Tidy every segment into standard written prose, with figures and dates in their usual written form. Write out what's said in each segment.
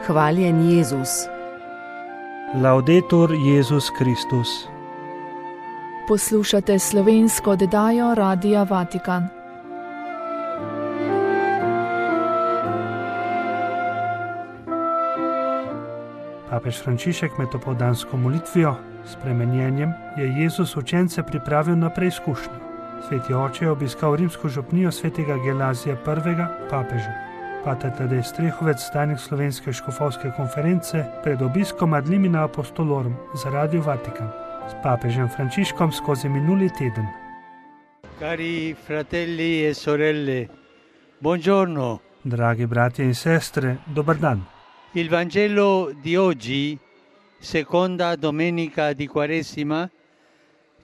Hvaljen Jezus. Laudetur Jezus Kristus. Poslušate slovensko oddajo Radia Vatikan. Papež Frančišek med opoldansko molitvijo s spremenjenjem je Jezus učence pripravil na preizkušnjo. Sveti oče je obiskal rimsko župnijo svetega Gelazija I. papeža. Pater Tadej Strehovec, tajnik Slovenske škofovske konference, pred obiskom ad limina apostolorum za Radio Vatikan s papežem Frančiškom skozi minuli teden. Cari fratelli e sorelle, buongiorno. Dragi bratje in sestre, dober dan. Il Vangelo di oggi, seconda domenica di Quaresima,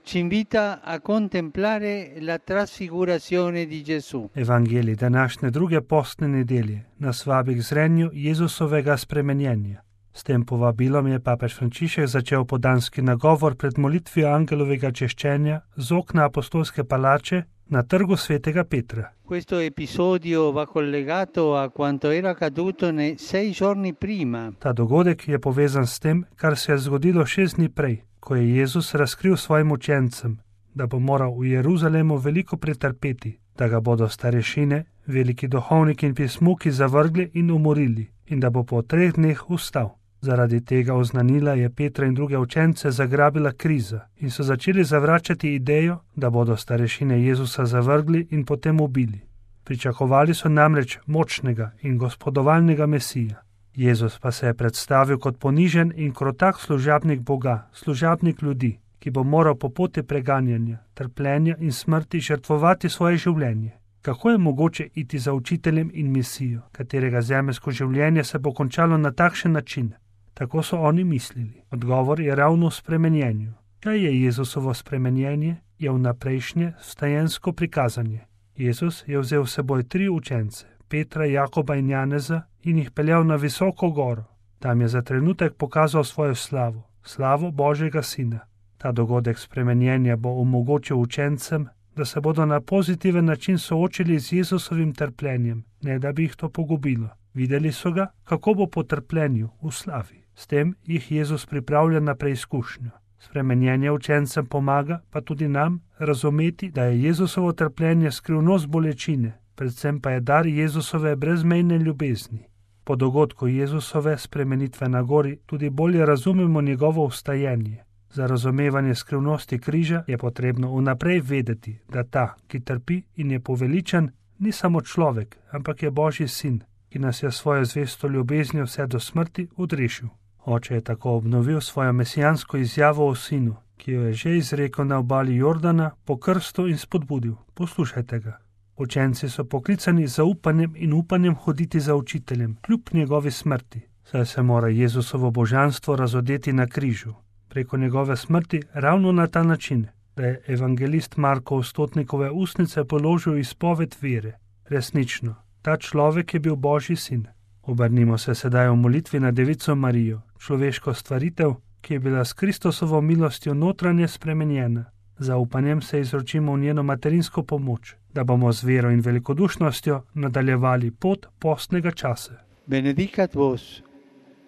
ci invita a contemplare la trasfigurazione di Gesù. Evangelij današnje druge postne nedelje nas vabi k zrenju Jezusovega spremenjenja. S tem povabilom je papež Frančišek začel podanski nagovor pred molitvijo angelovega češčenja z okna apostolske palače na trgu svetega Petra. Questo episodio va collegato a quanto era accaduto 6 giorni prima. Ta dogodek je povezan s tem, kar se je zgodilo 6 dni prej, ko je Jezus razkril svojim učencem, da bo moral v Jeruzalemu veliko pretrpeti, da ga bodo starešine, veliki duhovniki in pismuki zavrgli in umorili in da bo po 3 dneh vstal. Zaradi tega oznanila je Petra in druge učence zagrabila kriza in so začeli zavračati idejo, da bodo starešine Jezusa zavrgli in potem ubili. Pričakovali so namreč močnega in gospodovalnega Mesija. Jezus pa se je predstavil kot ponižen in krotak služabnik Boga, služabnik ljudi, ki bo moral po poti preganjanja, trpljenja in smrti žrtvovati svoje življenje. Kako je mogoče iti za učiteljem in misijo, katerega zemeljsko življenje se bo končalo na takšen način? Tako so oni mislili. Odgovor je ravno v spremenjenju. Kaj je Jezusovo spremenjenje? Je vnaprejšnje vstajensko prikazanje. Jezus je vzel s seboj 3 učence, Petra, Jakoba in Janeza, in jih peljal na visoko goro. Tam je za trenutek pokazal svojo slavo, slavo Božjega Sina. Ta dogodek spremenjenja bo omogočil učencem, da se bodo na pozitiven način soočili z Jezusovim trpljenjem, ne da bi jih to pogubilo. Videli so ga, kako bo po trpljenju v slavi. S tem jih Jezus pripravlja na preizkušnjo. Spremenjenje učencem pomaga, pa tudi nam, razumeti, da je Jezusovo trpljenje skrivnost bolečine, predvsem pa je dar Jezusove brezmejne ljubezni. Po dogodku Jezusove spremenitve na gori tudi bolje razumemo njegovo vstajenje. Za razumevanje skrivnosti križa je potrebno vnaprej vedeti, da ta, ki trpi in je poveličan, ni samo človek, ampak je Božji sin, ki nas je svojo zvesto ljubeznijo vse do smrti odrešil. Oče je tako obnovil svojo mesijansko izjavo o sinu, ki jo je že izrekel na obali Jordana po krstu in spodbudil. Poslušajte ga. Učenci so poklicani z zaupanjem in upanjem hoditi za učiteljem, kljub njegovi smrti, saj se mora Jezusovo božanstvo razodeti na križu. Preko njegove smrti ravno na ta način, da je evangelist Marko v stotnikove ustnice položil izpoved vere. Resnično, ta človek je bil Božji sin. Obrnimo se sedaj v molitvi na Devico Marijo, človeško stvaritev, ki je bila s Kristusovo milostjo notranje spremenjena. Zaupanjem se izročimo v njeno materinsko pomoč, da bomo z vero in velikodušnostjo nadaljevali pot postnega časa. Benedicat vos,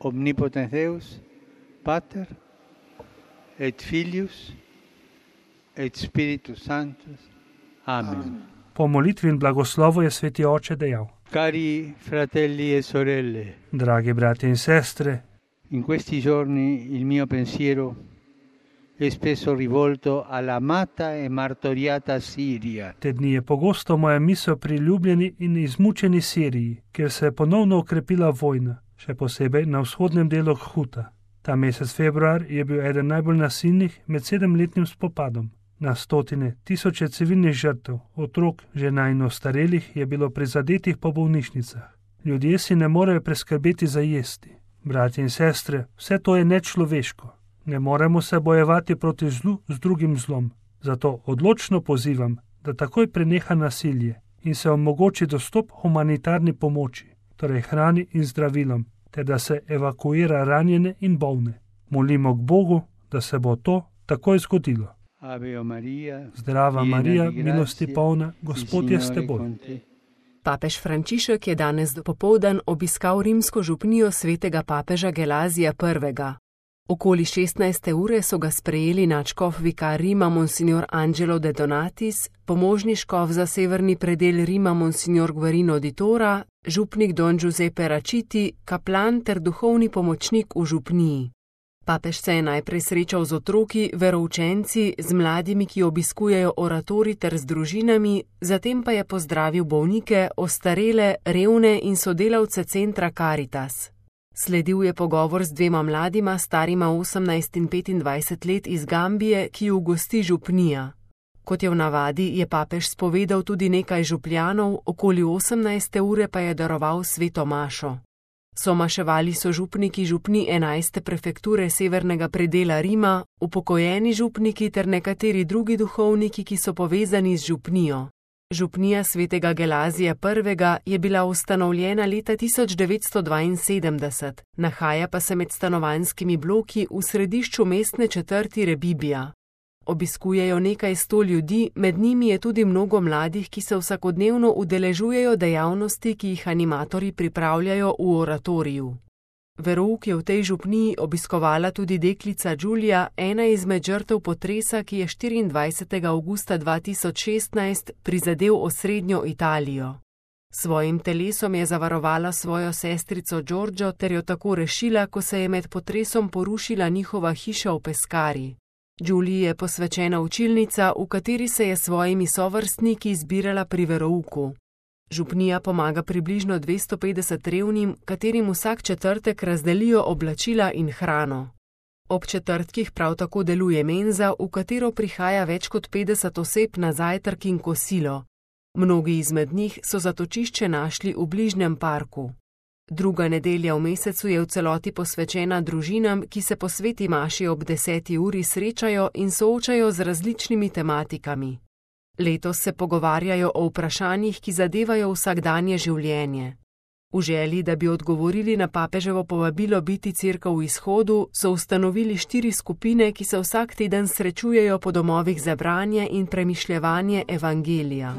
omnipotens Deus, Pater, et Filius, et Spiritus Sanctus. Amen. Po molitvi in blagoslovu je sveti oče dejal: Cari fratelli e sorelle, dragi bratje in sestre, in questi giorni il mio pensiero è spesso rivolto all'amata e martoriata Siria. Te dni je pogosto moja misel pri ljubljeni in izmučeni Siriji, kjer se je ponovno okrepila vojna, še posebej na vzhodnem delu Huta. Ta mesec februar je bil eden najbolj nasilnih med 7-letnim spopadom. Na stotine, tisoče civilnih žrtev, otrok, žena in ostarelih je bilo prizadetih po bolnišnicah. Ljudje si ne morejo preskrbeti za jesti. Bratje in sestre, vse to je nečloveško. Ne moremo se bojevati proti zlu z drugim zlom. Zato odločno pozivam, da takoj preneha nasilje in se omogoči dostop humanitarni pomoči, torej hrani in zdravilom, ter da se evakuira ranjene in bolne. Molimo k Bogu, da se bo to takoj zgodilo. Ave Maria, Zdrava Marija, milosti polna, Gospod je s teboj. Papež Frančišek je danes dopoldan obiskal rimsko župnijo svetega papeža Gelazija I. Okoli 16. ure so ga sprejeli nadškof vikar Rima Monsignor Angelo de Donatis, pomožni škof za severni predel Rima Monsignor Guarino di Tora, župnik Don Giuseppe Raciti, kaplan ter duhovni pomočnik v župniji. Papež se je najprej srečal z otroki, veroučenci, z mladimi, ki obiskujejo oratorij ter z družinami, zatem pa je pozdravil bolnike, ostarele, revne in sodelavce centra Caritas. Sledil je pogovor z dvema mladima, starima 18 in 25 let iz Gambije, ki ju gosti župnija. Kot je v navadi, je papež spovedal tudi nekaj župljanov, okoli 18. ure pa je daroval sveto mašo. So maševali so župniki župni 11. prefekture severnega predela Rima, upokojeni župniki ter nekateri drugi duhovniki, ki so povezani z župnijo. Župnija svetega Gelazija I. je bila ustanovljena leta 1972, nahaja pa se med stanovanjskimi bloki v središču mestne četrti Rebibija. Obiskujejo nekaj 100 ljudi, med njimi je tudi mnogo mladih, ki se vsakodnevno udeležujejo dejavnosti, ki jih animatorji pripravljajo v oratoriju. Verouk je v tej župniji obiskovala tudi deklica Giulia, ena izmed žrtev potresa, ki je 24. avgusta 2016 prizadel osrednjo Italijo. Svojim telesom je zavarovala svojo sestrico Giorgio ter jo tako rešila, ko se je med potresom porušila njihova hiša v Pescari. Giulii je posvečena učilnica, v kateri se je s svojimi sovrstniki zbirala pri verouku. Župnija pomaga približno 250 revnim, katerim vsak četrtek razdelijo oblačila in hrano. Ob četrtkih prav tako deluje menza, v katero prihaja več kot 50 oseb na zajtrk in kosilo. Mnogi izmed njih so zatočišče našli v bližnjem parku. Druga nedelja v mesecu je v celoti posvečena družinam, ki se po sveti maši ob 10. uri srečajo in soočajo z različnimi tematikami. Letos se pogovarjajo o vprašanjih, ki zadevajo vsakdanje življenje. V želji, da bi odgovorili na papeževo povabilo biti cerkev v izhodu, so ustanovili 4 skupine, ki se vsak teden srečujejo po domovih za branje in premišljevanje evangelija.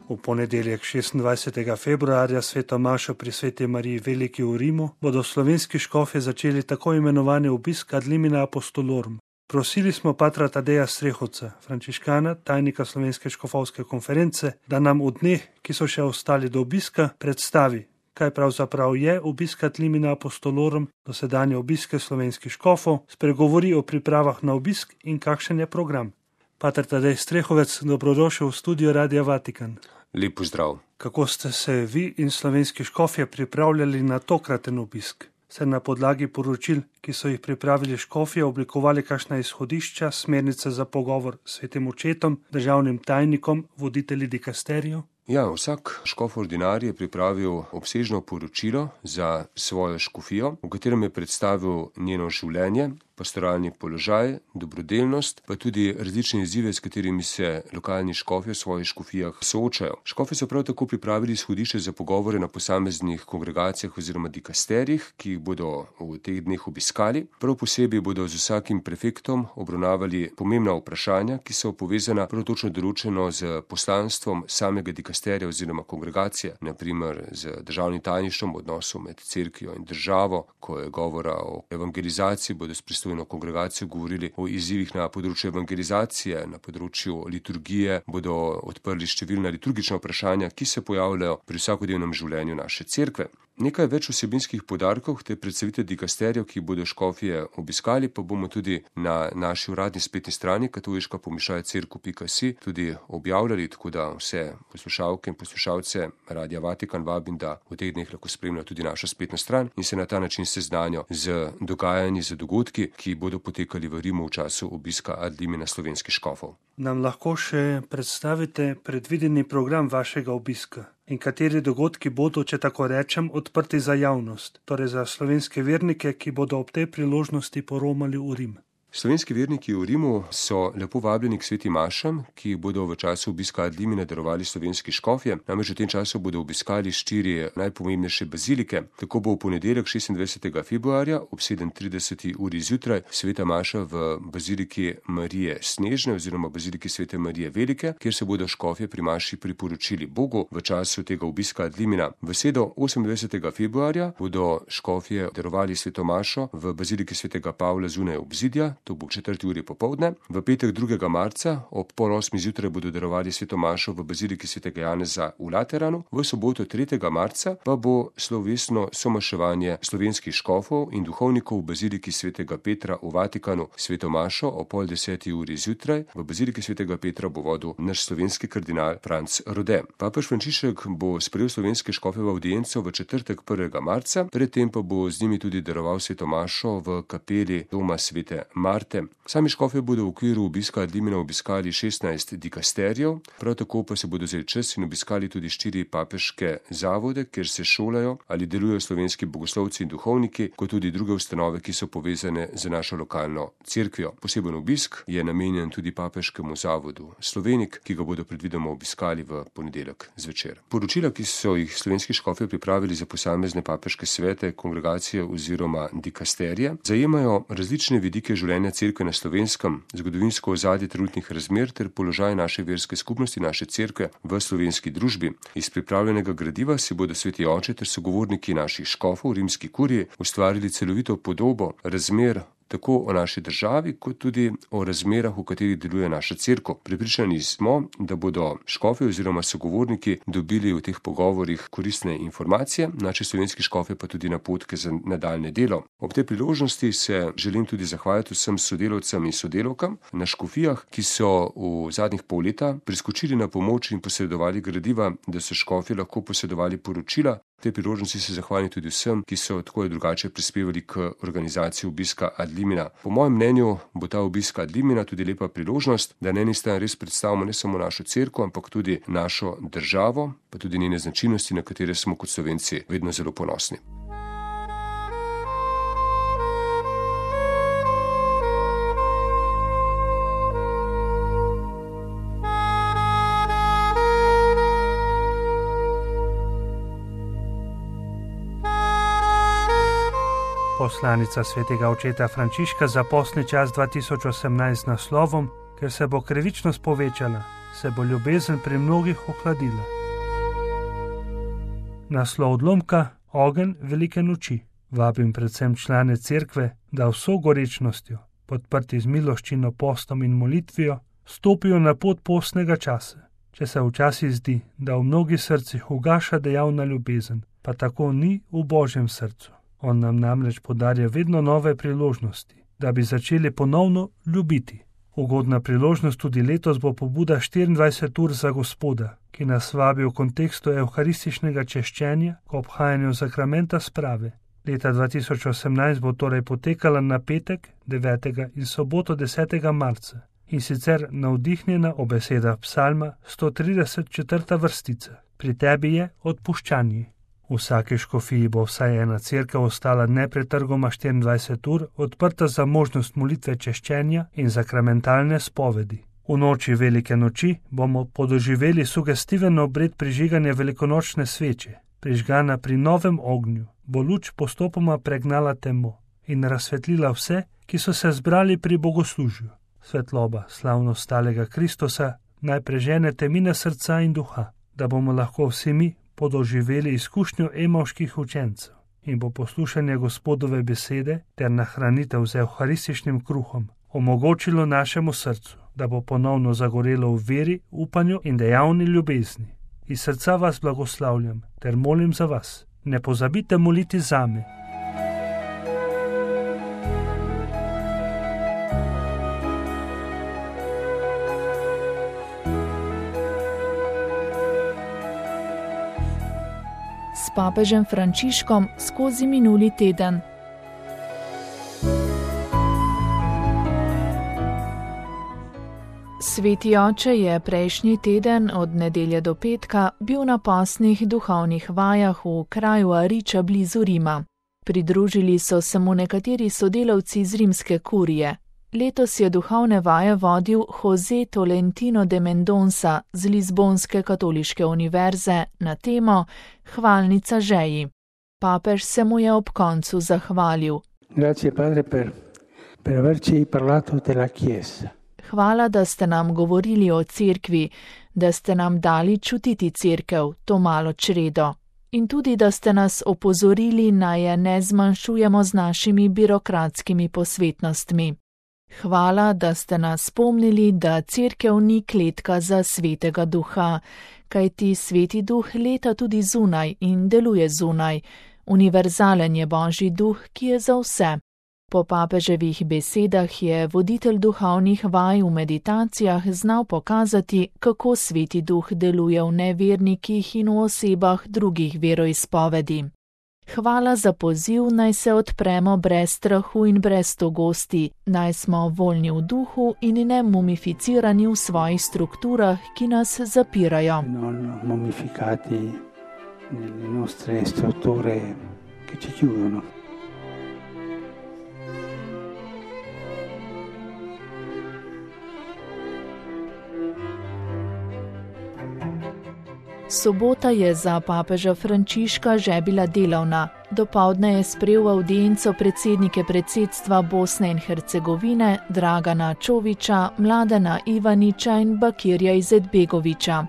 V ponedeljek 26. februarja sveto mašo pri sveti Mariji Veliki v Rimu bodo slovenski škofje začeli tako imenovani obisk ad limina apostolorum. Prosili smo patra Tadeja Strehovca, frančiškana, tajnika Slovenske škofovske konference, da nam v dneh, ki so še ostali do obiska, predstavi, kaj pravzaprav je obisk ad limina apostolorum, dosedanje obiske slovenskih škofov, spregovori o pripravah na obisk in kakšen je program. Pater Tadej Strehovec, dobrodošel v studio Radia Vatikan. Lep pozdrav. Kako ste se vi in slovenski škofje pripravljali na tokraten obisk? Ste na podlagi poročil, ki so jih pripravili škofje, oblikovali kakšna izhodišča, smernice za pogovor s svetim očetom, državnim tajnikom, voditelji dikasterijev? Ja, vsak škof ordinarij je pripravil obsežno poročilo za svojo škofijo, v katerem je predstavil njeno življenje, pastoralni položaj, dobrodelnost, pa tudi različne izzive, s katerimi se lokalni škofje v svojih škofijah soočajo. Škofje so prav tako pripravili izhodišče za pogovore na posameznih kongregacijah oziroma dikasterijih, ki jih bodo v teh dneh obiskali. Prav posebej bodo z vsakim prefektom obravnavali pomembna vprašanja, ki so povezana prav točno določeno z poslanstvom samega dikasterija oziroma kongregacije, naprimer z državnim tajništvom, odnosom med cerkvijo in državo. Ko je govora o evangelizaciji, bodo s pristojno kongregacijo govorili o izzivih na področju evangelizacije, na področju liturgije, bodo odprli številna liturgična vprašanja, ki se pojavljajo pri vsakodnevnem življenju naše cerkve. Nekaj več vsebinskih poudarkov te predstavitve dikasterijev, ki bodo škofje obiskali, pa bomo tudi na naši uradni spletni strani katoliška-cerkev.si tudi objavljali, tako da vse poslušalke in poslušalce Radia Vatikan vabim, da v teh dneh lahko spremljajo tudi našo spletno stran in se na ta način seznanijo z dogajanji, z dogodki, ki bodo potekali v Rimu v času obiska ad limina slovenskih škofov. Nam lahko še predstavite predvideni program vašega obiska? In kateri dogodki bodo, če tako rečem, odprti za javnost, torej za slovenske vernike, ki bodo ob tej priložnosti poromali v Rim? Slovenski verniki v Rimu so lepo vabljeni k sveti mašam, ki bodo v času obiska ad limina darovali slovenski škofje. Namreč v tem času bodo obiskali 4 najpomembnejše bazilike. Tako bo v ponedeljek 26. februarja ob 7:30 uri zjutraj sveta maša v baziliki Marije Snežne oziroma baziliki svete Marije Velike, kjer se bodo škofje pri maši priporočili Bogu v času tega obiska ad limina. V sredo 28. februarja bodo škofje darovali sveto mašo v baziliki svetega Pavla zunaj obzidja, to bo 4 uri popoldne. V petek 2. marca ob 7:30 zjutraj bodo darovali sveto mašo v baziliki svetega Janeza v Lateranu. V soboto 3. marca pa bo slovesno somaševanje slovenskih škofov in duhovnikov v baziliki svetega Petra v Vatikanu. Sveto mašo ob 9:30 uri zjutraj v baziliki svetega Petra bo vodil naš slovenski kardinal Franc Rode. Papež Frančišek bo sprejel slovenske škofe v avdienco v četrtek 1. marca, predtem pa bo z njimi tudi daroval sveto mašo v kapeli doma svete Marte. Sami škofje bodo v okviru obiska ad limina obiskali 16 dikasterijev, prav tako pa se bodo vzeli čas in obiskali tudi 4 papeške zavode, kjer se šolajo ali delujejo slovenski bogoslovci in duhovniki, kot tudi druge ustanove, ki so povezane z našo lokalno cerkvijo. Poseben obisk je namenjen tudi papeškemu zavodu Slovenik, ki ga bodo predvidoma obiskali v ponedeljek zvečer. Poročila, ki so jih slovenski škofje pripravili za posamezne papeške svete, kongregacije oziroma dikasterije, zajemajo različne vidike življenja cerkve na Slovenskem, zgodovinsko ozadje trenutnih razmer ter položaj naše verske skupnosti, naše cerkve v slovenski družbi. Iz pripravljenega gradiva si bodo sveti oče ter sogovorniki naših škofov v rimski kuriji ustvarili celovito podobo razmer tako o naši državi, kot tudi o razmerah, v katerih deluje naša cerkev. Prepričani smo, da bodo škofje oziroma sogovorniki dobili v teh pogovorih koristne informacije, naši slovenski škofje pa tudi napotke za nadaljne delo. Ob tej priložnosti se želim tudi zahvaliti vsem sodelavcem in sodelavkam na škofijah, ki so v zadnjih pol leta priskočili na pomoč in posredovali gradiva, da so škofje lahko posredovali poročila. V tej priložnosti se zahvalim tudi vsem, ki so tako ali drugače prispevali k organizaciji obiska ad limina. Po mojem mnenju bo ta obisk ad limina tudi lepa priložnost, da na eni strani res predstavimo ne samo našo cerkev, ampak tudi našo državo, pa tudi njene značilnosti, na katere smo kot Slovenci vedno zelo ponosni. Poslanica svetega očeta Frančiška za postni čas 2018 z naslovom: Ker se bo krivičnost povečala, se bo ljubezen pri mnogih ohladila. Naslov odlomka: Ogenj velike noči. Vabim predvsem člane cerkve, da vso gorečnostjo, podprti z miloščino, postom in molitvijo, stopijo na pot postnega časa. Če se včasih zdi, da v mnogih srcih ugaša dejavna ljubezen, pa tako ni v Božjem srcu. On nam namreč podarja vedno nove priložnosti, da bi začeli ponovno ljubiti. Ugodna priložnost tudi letos bo pobuda 24 ur za Gospoda, ki nas vabi v kontekstu evharističnega češčenja k obhajanju sakramenta sprave. Leta 2018 bo torej potekala na petek 9. in soboto 10. marca, in sicer navdihnjena ob besedah psalma 134. vrstica: Pri tebi je odpuščanje. V vsaki škofiji bo vsaj ena cerkev ostala nepretrgoma 24 ur odprta za možnost molitve češčenja in sakramentalne spovedi. V noči velike noči bomo podoživeli sugestiven obred prižiganja velikonočne sveče. Prižgana pri novem ognju bo luč postopoma pregnala temo in razsvetlila vse, ki so se zbrali pri bogoslužju. Svetloba slavno stalega Kristusa naj prežene temine srca in duha, da bomo lahko vsi mi podoživeli izkušnjo emavških učencev in bo poslušanje Gospodove besede ter nahranitev z evharističnim kruhom omogočilo našemu srcu, da bo ponovno zagorelo v veri, upanju in dejavni ljubezni. Iz srca vas blagoslavljam ter molim za vas. Ne pozabite moliti zame. S papežem Frančiškom skozi minuli teden. Sveti oče je prejšnji teden od nedelje do petka bil na postnih duhovnih vajah v kraju Ariča blizu Rima. Pridružili so se mu nekateri sodelavci iz rimske kurije. Letos je duhovne vaje vodil José Tolentino de Mendonça z Lizbonske katoliške univerze na temo Hvalnica žeji. Papež se mu je ob koncu zahvalil. Grazie, padre, per averci parlato della Chiesa. Hvala, da ste nam govorili o cerkvi, da ste nam dali čutiti cerkev, to malo čredo. In tudi, da ste nas opozorili, naj je ne zmanjšujemo z našimi birokratskimi posvetnostmi. Hvala, da ste nas spomnili, da cerkev ni kletka za svetega duha, kajti sveti duh leta tudi zunaj in deluje zunaj. Univerzalen je Božji duh, ki je za vse. Po papeževih besedah je voditelj duhovnih vaj v meditacijah znal pokazati, kako sveti duh deluje v nevernikih in v osebah drugih veroizpovedi. Hvala za poziv, naj se odpremo brez strahu in brez togosti, naj smo voljni v duhu in ne mumificirani v svojih strukturah, ki nas zapirajo. Non mumificati nelle nostre strutture che ci chiudono. Sobota je za papeža Frančiška že bila delovna. Dopoldne je sprejel avdienco predsednike predsedstva Bosne in Hercegovine Dragana Čovića, Mladena Ivanića in Bakirja Izetbegovića.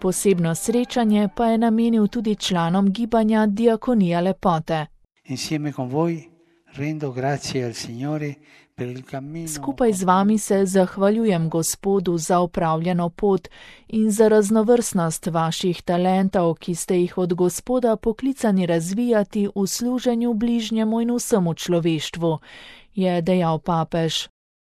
Posebno srečanje pa je namenil tudi članom gibanja Diakonija lepote. Insieme con voi rendo grazie al Signore. Skupaj z vami se zahvaljujem Gospodu za opravljeno pot in za raznovrstnost vaših talentov, ki ste jih od Gospoda poklicani razvijati v služenju bližnjemu in vsemu človeštvu, je dejal papež.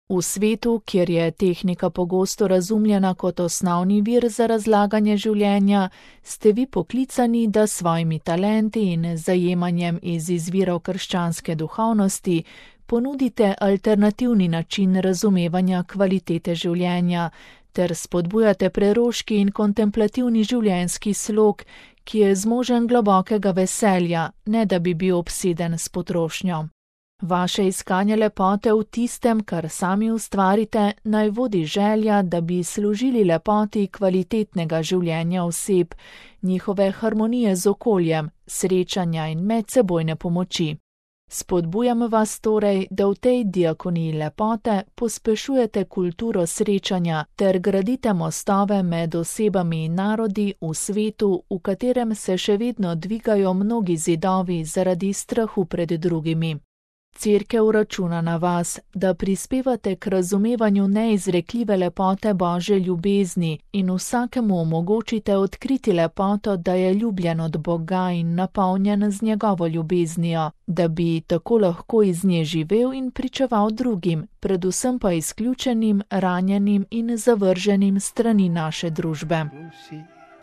V svetu, kjer je tehnika pogosto razumljena kot osnovni vir za razlaganje življenja, ste vi poklicani, da s svojimi talenti in zajemanjem iz izvirov krščanske duhovnosti ponudite alternativni način razumevanja kvalitete življenja ter spodbujate preroški in kontemplativni življenjski slog, ki je zmožen globokega veselja, ne da bi bil obseden s potrošnjo. Vaše iskanje lepote v tistem, kar sami ustvarite, naj vodi želja, da bi služili lepoti kvalitetnega življenja oseb, njihove harmonije z okoljem, srečanja in medsebojne pomoči. Spodbujam vas torej, da v tej diakoniji lepote pospešujete kulturo srečanja ter gradite mostove med osebami in narodi v svetu, v katerem se še vedno dvigajo mnogi zidovi zaradi strahu pred drugimi. Cerkev računa na vas, da prispevate k razumevanju neizrekljive lepote Božje ljubezni in vsakemu omogočite odkriti lepoto, da je ljubljen od Boga in napolnjen z njegovo ljubeznijo, da bi tako lahko iz nje živel in pričeval drugim, predvsem pa izključenim, ranjenim in zavrženim strani naše družbe.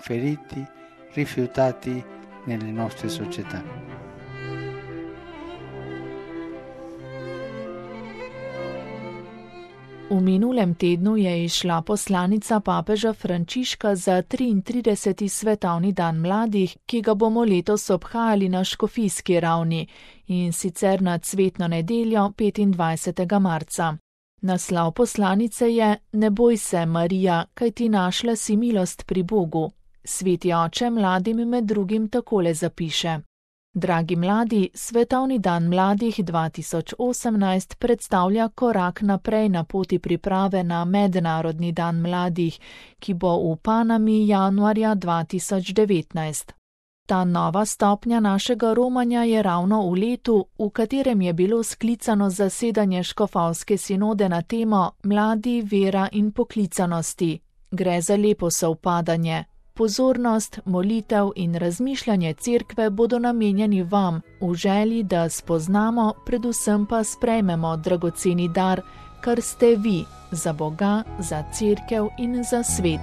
Feriti, rifiutati nelle nostre società. V minulem tednu je izšla poslanica papeža Frančiška za 33. svetovni dan mladih, ki ga bomo letos obhajali na škofijski ravni, in sicer na cvetno nedeljo 25. marca. Naslov poslanice je Ne boj se, Marija, kajti našla si milost pri Bogu. Sveti oče mladim med drugim takole zapiše. Dragi mladi, Svetovni dan mladih 2018 predstavlja korak naprej na poti priprave na Mednarodni dan mladih, ki bo v Panami januarja 2019. Ta nova stopnja našega romanja je ravno v letu, v katerem je bilo sklicano zasedanje škofovske sinode na temo Mladi, vera in poklicanosti. Gre za lepo sovpadanje. Pozornost, molitev in razmišljanje cerkve bodo namenjeni vam, v želji, da spoznamo, predvsem pa sprejmemo dragoceni dar, kar ste vi, za Boga, za cerkev in za svet.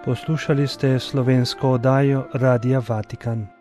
Poslušali ste slovensko oddajo Radia Vatikan.